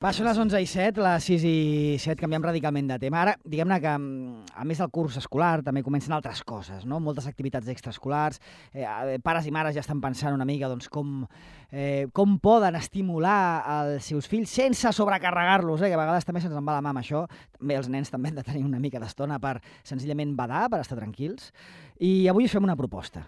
Va, són les 11:07, les 6:07, canviem radicalment de tema. Ara, diguem-ne que, a més del curs escolar, també comencen altres coses, no? Moltes activitats extraescolars. Pares i mares ja estan pensant una mica doncs, com poden estimular els seus fills sense sobrecarregar-los, que a vegades també se'ns en va la mà amb això. També els nens també han de tenir una mica d'estona per senzillament badar, per estar tranquils. I avui us fem una proposta.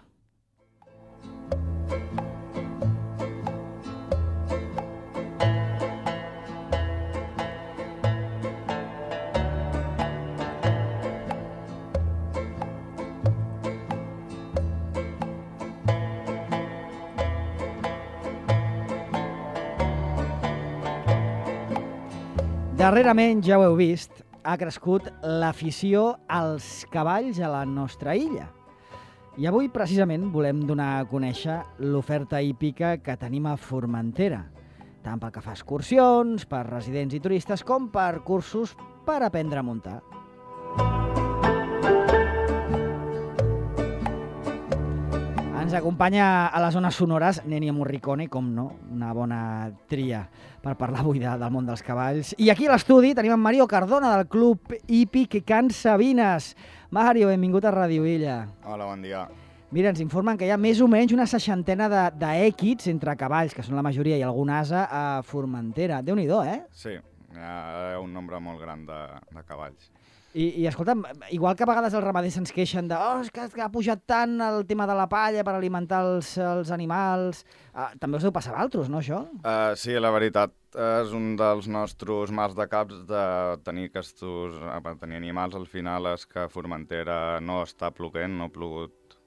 Darrerament, ja ho heu vist, ha crescut l'afició als cavalls a la nostra illa. I avui, precisament, volem donar a conèixer l'oferta hípica que tenim a Formentera, tant pel que fa a excursions, per residents i turistes, com per cursos per aprendre a muntar. Ens acompanya a les zones sonores Nenia Morricone, com no, una bona tria per parlar avui del món dels cavalls. I aquí a l'estudi tenim en Mario Cardona, del Club Hípic Can Sabines. Mario, benvingut a Ràdio Illa. Hola, bon dia. Mira, ens informen que hi ha més o menys una 60 d'èquids entre cavalls, que són la majoria, i algun ase a Formentera. Déu-n'hi-do, eh? Sí, hi ha un nombre molt gran de cavalls. I escolta'm, igual que a vegades els ramaders ens queixen de és que ha pujat tant el tema de la palla per alimentar els animals, també us deu passar a altres, no, això? Sí, la veritat és un dels nostres mals de caps de tenir tenir animals. Al final és que Formentera no està ploguent, no ha plogut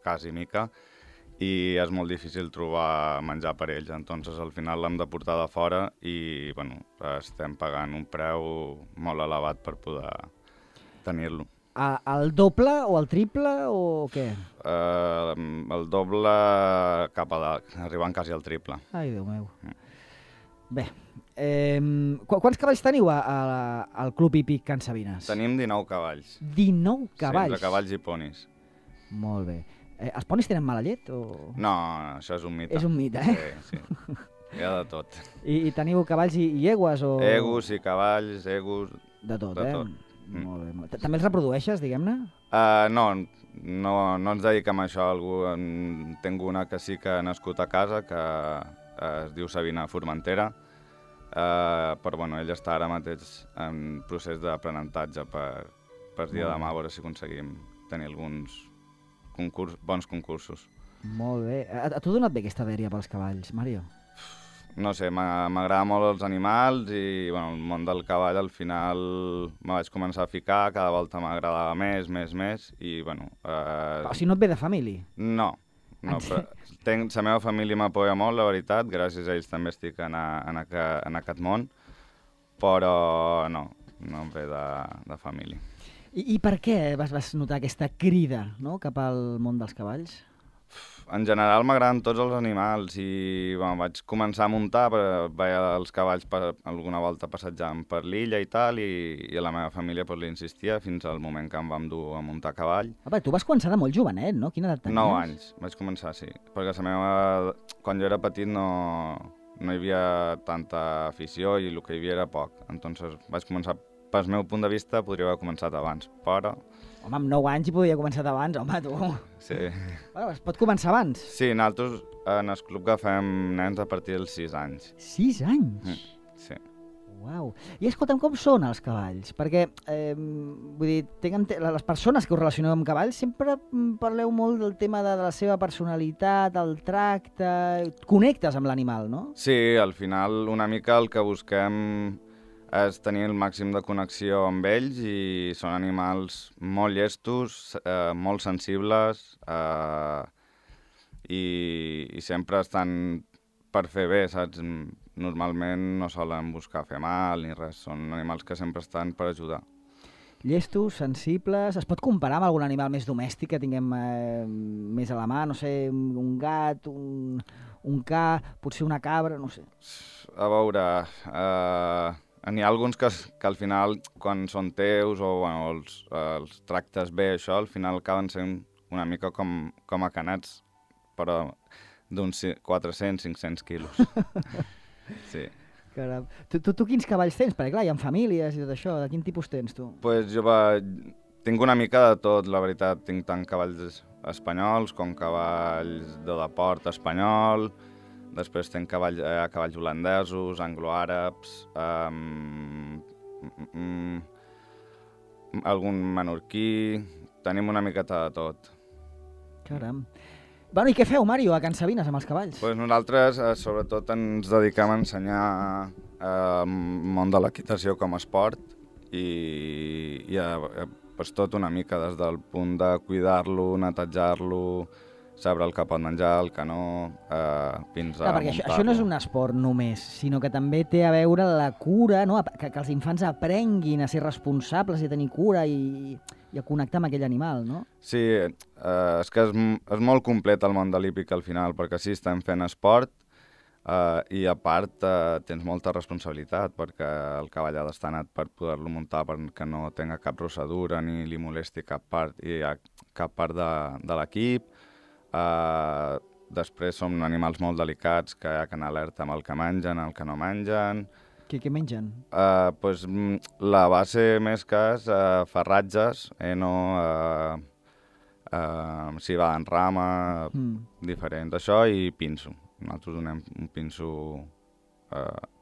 quasi mica, i és molt difícil trobar menjar per ells. Entonces, al final l'hem de portar de fora i estem pagant un preu molt elevat per poder tenir-lo. El doble o el triple o què? El doble cap a dalt, arribant quasi al triple. Ai, Déu meu. Bé, quants cavalls teniu al Club Hípic Can Sabines? Tenim 19 cavalls. 19 cavalls? Sí, entre cavalls i ponis. Molt bé. Els ponis tenen mala llet? O... No, això és un mite. És un mite, eh? Sí. Hi ha de tot. I teniu cavalls i egües? O... Egus i cavalls, egus... De tot, de eh? tot. Molt bé. També els reprodueixes, diguem-ne? No ens dediquem a això. Tinc una que sí que ha nascut a casa, que es diu Sabina Formentera, però ella està ara mateix en procés d'aprenentatge per dia de demà, a veure si aconseguim tenir alguns bons concursos. Molt bé. A tu t'ha donat bé aquesta dèria pels cavalls, Mario? No sé, m'agrada molt els animals i el món del cavall al final me vaig començar a ficar, cada volta m'agradava més i O sigui, no et ve de família? No, però la meva família m'apoya molt, la veritat, gràcies a ells també estic en aquest món, però no em ve de família. I per què vas notar aquesta crida, no?, cap al món dels cavalls? En general m'agraden tots els animals i vaig començar a muntar, veia els cavalls alguna volta passejant per l'illa i tal, i a la meva família li insistia fins al moment que em vam dur a muntar a cavall. Tu vas començar de molt jovenet, no? Quina edat tenies? 9 anys vaig començar, sí, perquè quan jo era petit no hi havia tanta afició i el que hi havia era poc. Entonces vaig començar, pel meu punt de vista, podria haver començat abans, però... Home, amb 9 anys hi podia començar abans, home, tu. Sí. Es pot començar abans? Sí, nosaltres en el club agafem nens a partir dels 6 anys. 6 anys? Sí. Uau. I escolta'm, com són els cavalls? Perquè, vull dir, les persones que us relacioneu amb cavalls sempre parleu molt del tema de la seva personalitat, el tracte... Connectes amb l'animal, no? Sí, al final una mica el que busquem és tenir el màxim de connexió amb ells i són animals molt llestos, molt sensibles i sempre estan per fer bé, saps? Normalment no solen buscar fer mal ni res, són animals que sempre estan per ajudar. Llestos, sensibles... Es pot comparar amb algun animal més domèstic que tinguem més a la mà? No sé, un gat, un ca, potser una cabra, no sé. A veure... N'hi ha alguns que al final, quan són teus o els tractes bé, això, al final acaben sent una mica com a canets, però d'uns 400-500 quilos. Sí. Caram. Tu quins cavalls tens? Perquè clar, hi ha famílies i tot això. De quin tipus tens tu? Pues jo tinc una mica de tot, la veritat. Tinc tant cavalls espanyols com cavalls de deport espanyol. Després tinc cavalls holandesos, angloàrabs, algun menorquí. Tenim una miqueta de tot. Caram. Bueno, i què feu, Mario, a Can Sabines amb els cavalls? Pues nosaltres, sobretot, ens dediquem a ensenyar el món de l'equitació com a esport i pues, tot una mica, des del punt de cuidar-lo, netejar-lo, saber el que pot menjar, el que no, fins a perquè això no és un esport només, sinó que també té a veure la cura, no? que els infants aprenguin a ser responsables i a tenir cura i a connectar amb aquell animal, no? Sí, és que és molt complet el món de l'hípic al final, perquè sí, estem fent esport i a part tens molta responsabilitat, perquè el cavall ha d'estar net per poder-lo muntar perquè no tenga cap rossadura ni li molesti cap part de l'equip. Després són animals molt delicats que hi ha que anar alerta amb el que mengen, el que no mengen. Què mengen? Pues, la base més que és ferratges, civada en rama, diferent d'això, i pinso. Nosaltres donem un pinso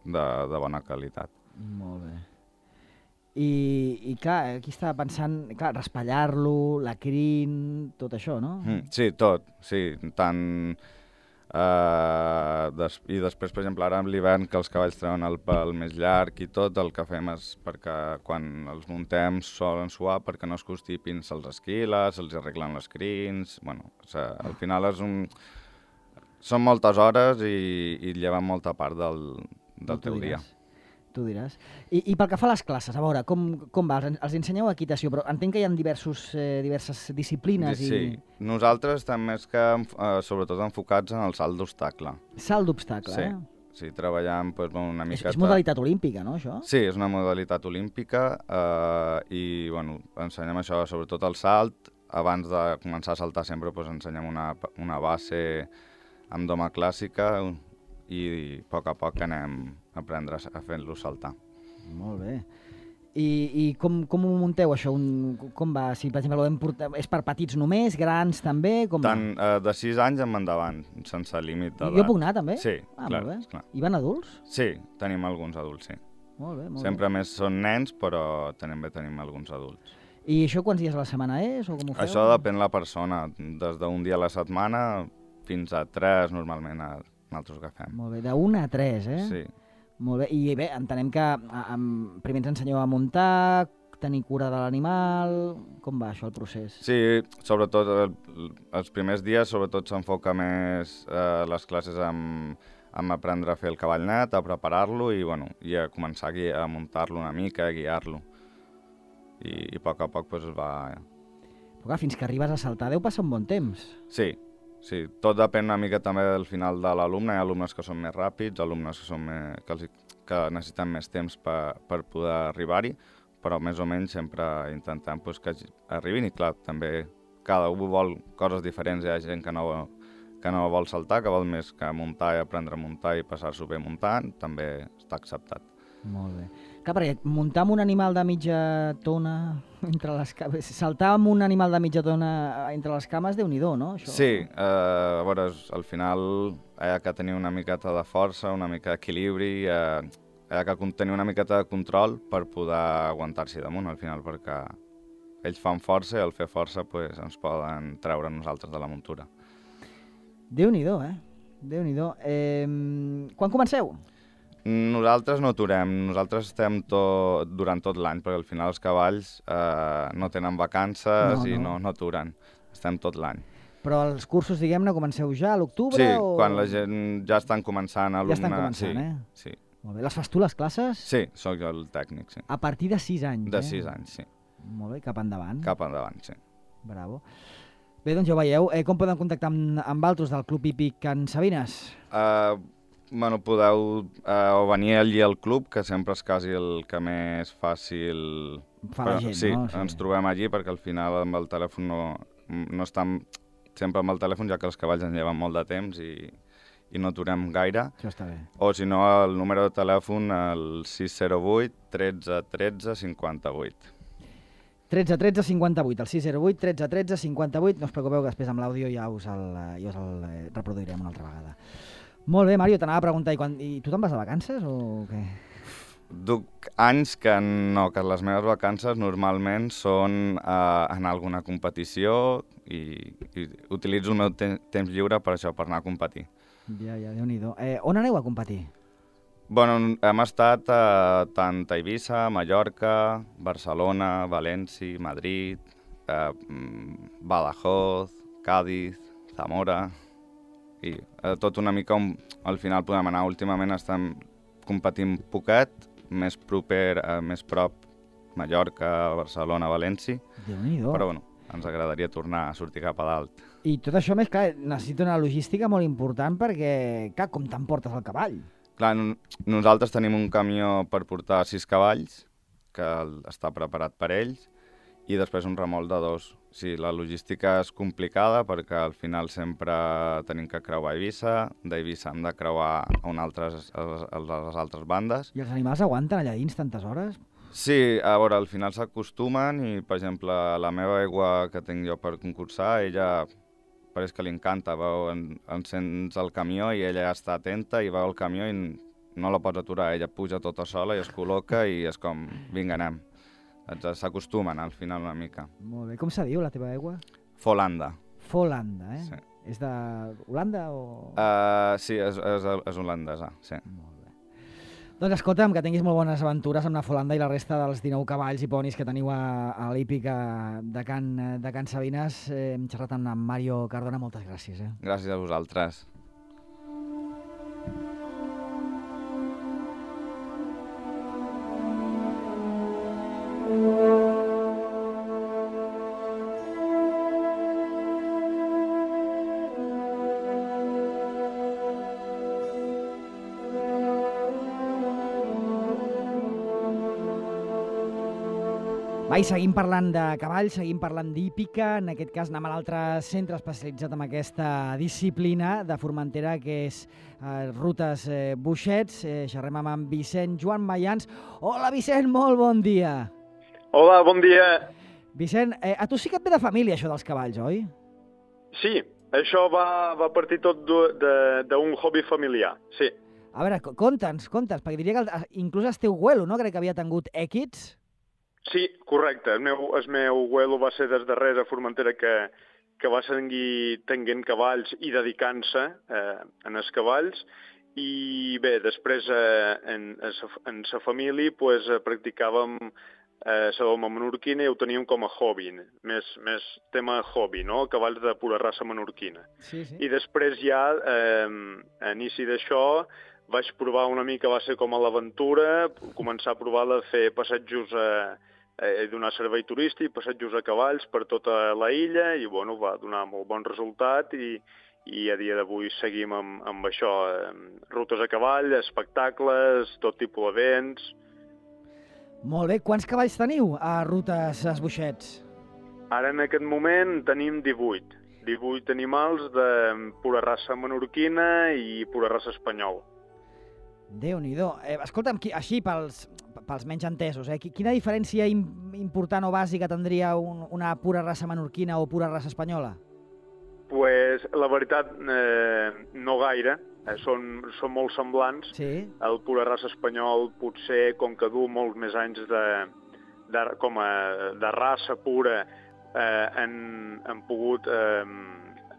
de bona qualitat. Molt bé. I clar, aquí estava pensant, clar, raspallar-lo, la crin, tot això, no? Sí, tot, sí, tant... I després, per exemple, ara amb l'hivern, que els cavalls treuen el pèl més llarg i tot, el que fem és perquè quan els muntem solen suar perquè no es constipin, se'ls esquila, se'ls arreglen les crins... Bueno, al final són moltes hores i lleven molta part del teu dia. Tu diràs. I pel que fa a les classes, a veure, com va? Els ensenyeu equitació, però entenc que hi ha diverses disciplines. Sí, nosaltres estem més que, sobretot, enfocats en el salt d'obstacle. Salt d'obstacle, sí. Sí, treballant una miqueta... És modalitat olímpica, no, això? Sí, és una modalitat olímpica i, bueno, ensenyem això, sobretot el salt. Abans de començar a saltar sempre ensenyem una base amb doma clàssica i a poc anem a aprendre a fer-lo saltar. Molt bé. I com ho munteu, això? Com va? Si, per exemple, és per petits només, grans també? Tant de 6 anys en endavant, sense límit d'edat. Jo puc anar, també? Sí, clar. Molt bé. I van adults? Sí, tenim alguns adults, sí. Molt bé, molt bé. Sempre més són nens, però també tenim alguns adults. I això quants dies a la setmana és, o com ho feu? Això depèn de la persona. Des d'un dia a la setmana fins a 3, normalment, nosaltres agafem. Molt bé, de 1 a 3, eh? Sí. Molt bé, i bé, entenem que primer ens ensenyeu a muntar, tenir cura de l'animal... Com va això, el procés? Sí, sobretot els primers dies s'enfoca més les classes amb aprendre a fer el cavall net, a preparar-lo i a començar a muntar-lo una mica, a guiar-lo. I a poc es va... Però clar, fins que arribes a saltar deu passar un bon temps. Sí, tot depèn una mica també del final de l'alumne. Hi ha alumnes que són més ràpids, alumnes que necessiten més temps per poder arribar-hi, però més o menys sempre intentem que arribin i clar, també cada un vol coses diferents. Hi ha gent que no vol saltar, que vol més que muntar i aprendre a muntar i passar-s'ho bé muntant, també està acceptat. Molt bé. Clar, perquè muntar amb un animal de mitja tona entre les cames... Saltar amb un animal de mitja tona entre les cames, Déu-n'hi-do, no? Això... Sí, a veure, al final hi ha que tenir una miqueta de força, una mica d'equilibri, hi ha que tenir una miqueta de control per poder aguantar-s'hi damunt, al final, perquè ells fan força i al fer força ens poden treure nosaltres de la muntura. Déu-n'hi-do, eh? Déu-n'hi-do. Quan comenceu? Nosaltres no aturem, nosaltres estem durant tot l'any, perquè al final els cavalls no tenen vacances i no aturen, estem tot l'any. Però els cursos, diguem-ne, comenceu ja a l'octubre? Sí, quan la gent ja estan començant a alumnar. Ja estan començant, Sí. Molt bé. Les fas tu, les classes? Sí, sóc jo el tècnic, sí. A partir de 6 anys, De 6 anys, sí. Molt bé, cap endavant. Cap endavant, sí. Bravo. Bé, doncs ja ho veieu. Com podem contactar amb altres del Club Hípic Can Sabines? Podeu venir allí al club, que sempre és quasi el que més fàcil... Fa la gent, sí, no? Sí, ens trobem allí perquè al final amb el telèfon no estem sempre amb el telèfon, ja que els cavalls ens lleven molt de temps i i no aturem gaire. Això està bé. O si no, el número de telèfon, el 608 13 13 58. 13 13 58, el 608 13 13 58. No us preocupeu que després amb l'àudio ja us el reproduirem una altra vegada. Molt bé, Mario, t'anava a preguntar, i tu te'n vas de vacances o què? Duc anys que no, que les meves vacances normalment són anar a alguna competició i utilitzo el meu temps lliure per això, per anar a competir. Ja, Déu-n'hi-do. On aneu a competir? Bueno, hem estat tant a Eivissa, Mallorca, Barcelona, València, Madrid, Badajoz, Cádiz, Zamora, i tot una mica on al final podem anar. Últimament estem competint poquet, més prop, Mallorca, Barcelona, València. Déu-n'hi-do. Però bueno, ens agradaria tornar a sortir cap a dalt. I tot això, més clar, necessita una logística molt important perquè, clar, com t'emportes el cavall? Clar, nosaltres tenim un camió per portar 6 cavalls, que està preparat per ells, i després un remolc de 2. Sí, la logística és complicada perquè al final sempre tenim que creuar Eivissa, d'Eivissa hem de creuar a les altres bandes. I els animals aguanten allà dins tantes hores? Sí, a veure, al final s'acostumen i, per exemple, la meva aigua que tinc jo per concursar, ella pareix que li encanta, encens el camió i ella ja està atenta i veu el camió i no la pots aturar, ella puja tota sola i es col·loca i és com, vinga, anem. S'acostumen al final una mica. Molt bé. Com se diu la teva aigua? Folanda. Folanda, eh? Sí. És d'Holanda o...? Sí, és holandesa, sí. Molt bé. Doncs escolta'm, que tinguis molt bones aventures amb la Folanda i la resta dels 19 cavalls i ponis que teniu a l'hípica de Can Sabines. Hem xerrat amb Mario Cardona, moltes gràcies. Gràcies a vosaltres. I seguim parlant de cavalls, seguim parlant d'hípica, en aquest cas anem a l'altre centre especialitzat en aquesta disciplina de Formentera, que és Rutes Boixets. Xerrem amb en Vicent Joan Mayans. Hola, Vicent, molt bon dia. Hola, bon dia. Vicent, a tu sí que et ve de família, això dels cavalls, oi? Sí, això va partir tot d'un hobby familiar, sí. A veure, conta'ns, perquè diria que inclús el teu abuelo, no?, crec que havia tingut èquids. Sí, correcte. El meu abuelo va ser des darrere a Formentera que va seguir tenint cavalls i dedicant-se en els cavalls. I bé, després en sa família pues, practicàvem la doma menorquina i ho teníem com a hobby, més tema hobby, no? Cavalls de pura raça menorquina. Sí, sí. I després ja, a inici d'això, vaig provar una mica, va ser com a l'aventura, començar a provar de fer passatjos donar servei turístic, passatjos a cavalls per tota la illa i bueno, va donar molt bon resultat i a dia d'avui seguim amb això, rutes a cavall, espectacles, tot tipus d'events. Molt bé, quants cavalls teniu a Rutes Boixets? Ara en aquest moment tenim 18 animals de pura raça menorquina i pura raça espanyola. Déu-n'hi-do. Escolta'm, així pels menys entesos, quina diferència important o bàsica tindria una pura raça menorquina o pura raça espanyola? Pues, la veritat, no gaire. Són molt semblants. Sí. El pura raça espanyol potser, com que du molts més anys de raça pura, han pogut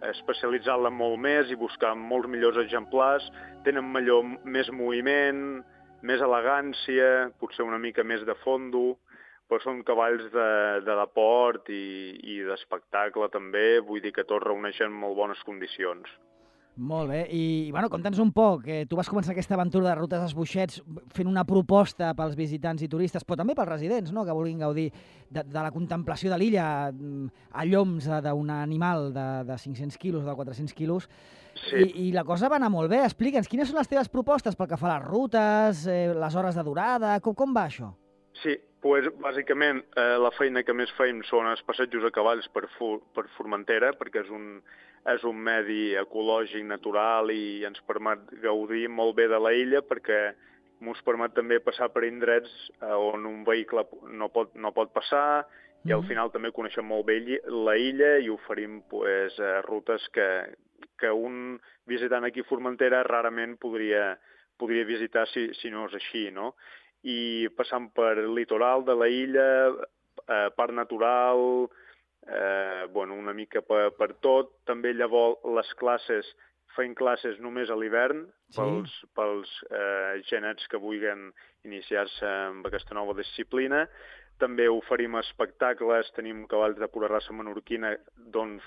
especialitzar-la molt més i buscar molts millors exemplars. Tenen més moviment, més elegància, potser una mica més de fondo, però són cavalls de deport i d'espectacle també, vull dir que tots reuneixen molt bones condicions. Molt bé, i bueno, conta'ns un poc, tu vas començar aquesta aventura de Rutes Boixets fent una proposta pels visitants i turistes, però també pels residents, no?, que vulguin gaudir de la contemplació de l'illa a lloms d'un animal de 500 quilos, de 400 quilos, sí. I la cosa va anar molt bé. Explica'ns, quines són les teves propostes pel que fa a les rutes, les hores de durada, com va això? Sí, doncs bàsicament la feina que més feim són els passejos a cavalls per Formentera, perquè és és un medi ecològic, natural, i ens permet gaudir molt bé de la illa, perquè ens permet també passar per indrets on un vehicle no pot passar, i al final també coneixem molt bé la illa i oferim rutes que un visitant aquí a Formentera rarament podria visitar si no és així, no? I passant per litoral de la illa, parc natural, una mica per tot. També llavors les classes, feim classes només a l'hivern pels genets que vulguin iniciar-se amb aquesta nova disciplina. També oferim espectacles, tenim cavalls de pura raça menorquina d'on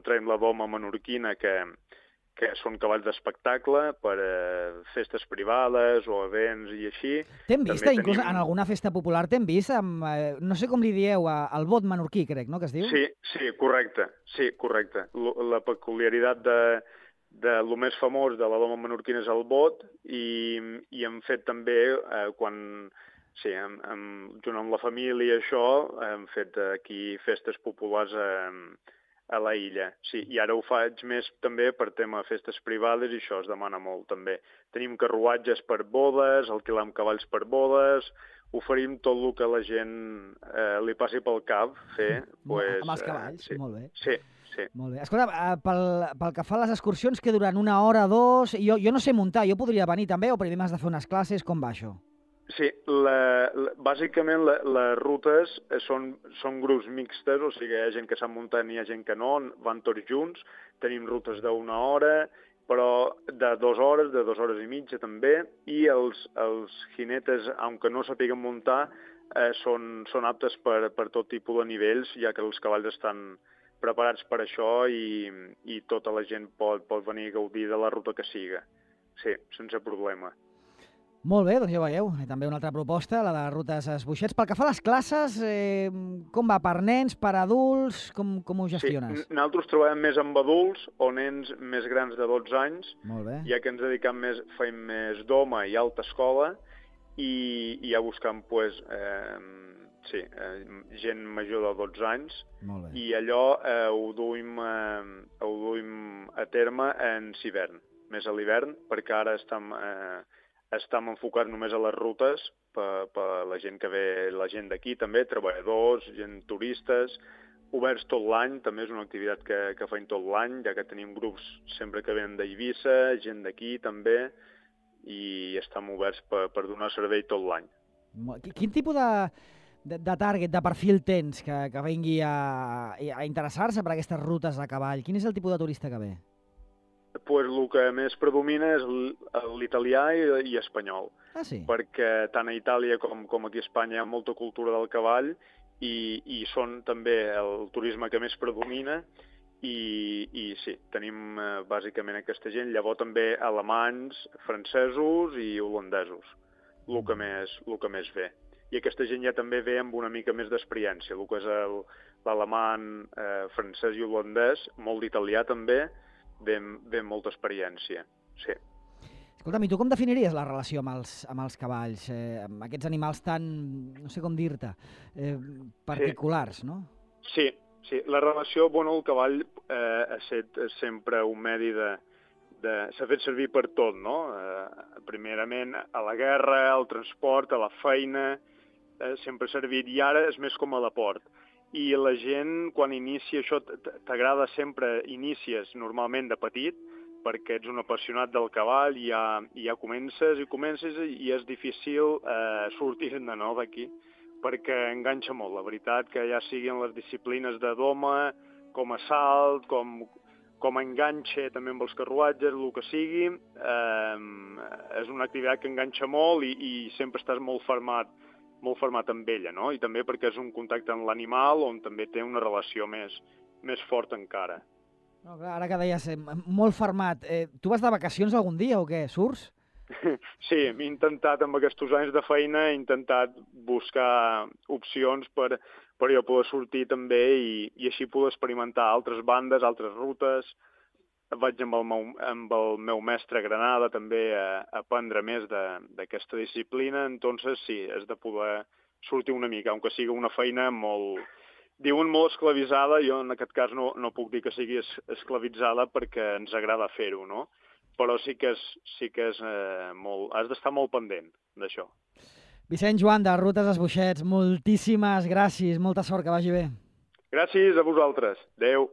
traiem la doma menorquina, que són cavalls d'espectacle per festes privades o events i així. T'hem vist, inclús en alguna festa popular t'hem vist amb, no sé com li dieu, el bot menorquí, crec, no?, que es diu? Sí, correcte. La peculiaritat de lo més famós de la doma menorquina és el bot, i hem fet també, junt amb la família, això, hem fet aquí festes populars a la illa. Sí, i ara ho faig més també per tema de festes privades, i això es demana molt també. Tenim carruatges per bodes, alquilam cavalls per bodes, oferim tot el que a la gent li passi pel cap fer. Amb els cavalls, molt bé. Sí. Molt bé. Escolta, pel que fa a les excursions, que duran 1 hora, 2... Jo no sé muntar, jo podria venir també, o primer m'has de fer unes classes, com va això? Sí, bàsicament les rutes són grups mixtes, o sigui, hi ha gent que sap muntar i hi ha gent que no, van tots junts. Tenim rutes d'1 hora, però de 2 hores, de 2 hores i mitja també, i els jinetes, aunque no sàpiguen muntar, són aptes per tot tipus de nivells, ja que els cavalls estan preparats per això, i tota la gent pot venir a gaudir de la ruta que siga. Sí, sense problema. Molt bé, doncs ja veieu, també una altra proposta, la de rutes Esbuixets. Pel que fa a les classes, com va? Per nens, per adults, com ho gestiones? Sí, nosaltres treballem més amb adults o nens més grans de 12 anys, ja que ens dedicam feim més doma i alta escola, i ja buscam gent major de 12 anys, i allò ho duim a terme en hivern, més a l'hivern, perquè ara estem enfocats només a les rutes per la gent que ve, la gent d'aquí també, treballadors, gent turistes, oberts tot l'any, també és una activitat que feim tot l'any, ja que tenim grups sempre que venen d'Eivissa, gent d'aquí també, i estem oberts per donar servei tot l'any. Quin tipus de target, de perfil tens que vingui a interessar-se per aquestes rutes a cavall? Quin és el tipus de turista que ve? El que més predomina és l'italià i espanyol. Ah, sí? Perquè tant a Itàlia com aquí a Espanya hi ha molta cultura del cavall, i són també el turisme que més predomina, i sí, tenim bàsicament aquesta gent, llavors també alemanys, francesos i holandesos, el que més ve. I aquesta gent ja també ve amb una mica més d'experiència, el que és l'alemany, francès i holandès, molt d'italià també, ve molta experiència, sí. Escolta'm, i tu com definiries la relació amb els cavalls, amb aquests animals tan, no sé com dir-te, particulars, no? Sí, la relació, el cavall ha estat sempre un medi s'ha fet servir per tot, no? Primerament a la guerra, al transport, a la feina, sempre ha servit, i ara és més com a deport. I la gent, quan inicia això, t'agrada sempre, inicies normalment de petit, perquè ets un apassionat del cavall, i ja comences i és difícil sortir-ne d'aquí, perquè enganxa molt, la veritat, que ja siguin les disciplines de doma, com a salt, com a enganxe també amb els carruatges, el que sigui, és una activitat que enganxa molt, i sempre estàs molt fermat amb ella, no? I també perquè és un contacte amb l'animal on també té una relació més forta encara. No, clar, ara que deies, molt fermat, tu vas de vacacions algun dia o què? Surts? Sí, m'he intentat, amb aquests anys de feina, buscar opcions per jo poder sortir també, i així poder experimentar altres bandes, altres rutes. Vaig amb el meu mestre a Granada també a aprendre més d'aquesta disciplina, entonces sí, és de poder sortir una mica, aunque sigui una feina molt diuen molt esclavitzada, jo en aquest cas no puc dir que sigui esclavitzada perquè ens agrada fer-ho, no? Però sí que és molt... Has d'estar molt pendent d'això. Vicent Joan, de Rutes Esboixets, moltíssimes gràcies, molta sort, que vagi bé. Gràcies a vosaltres. Adéu.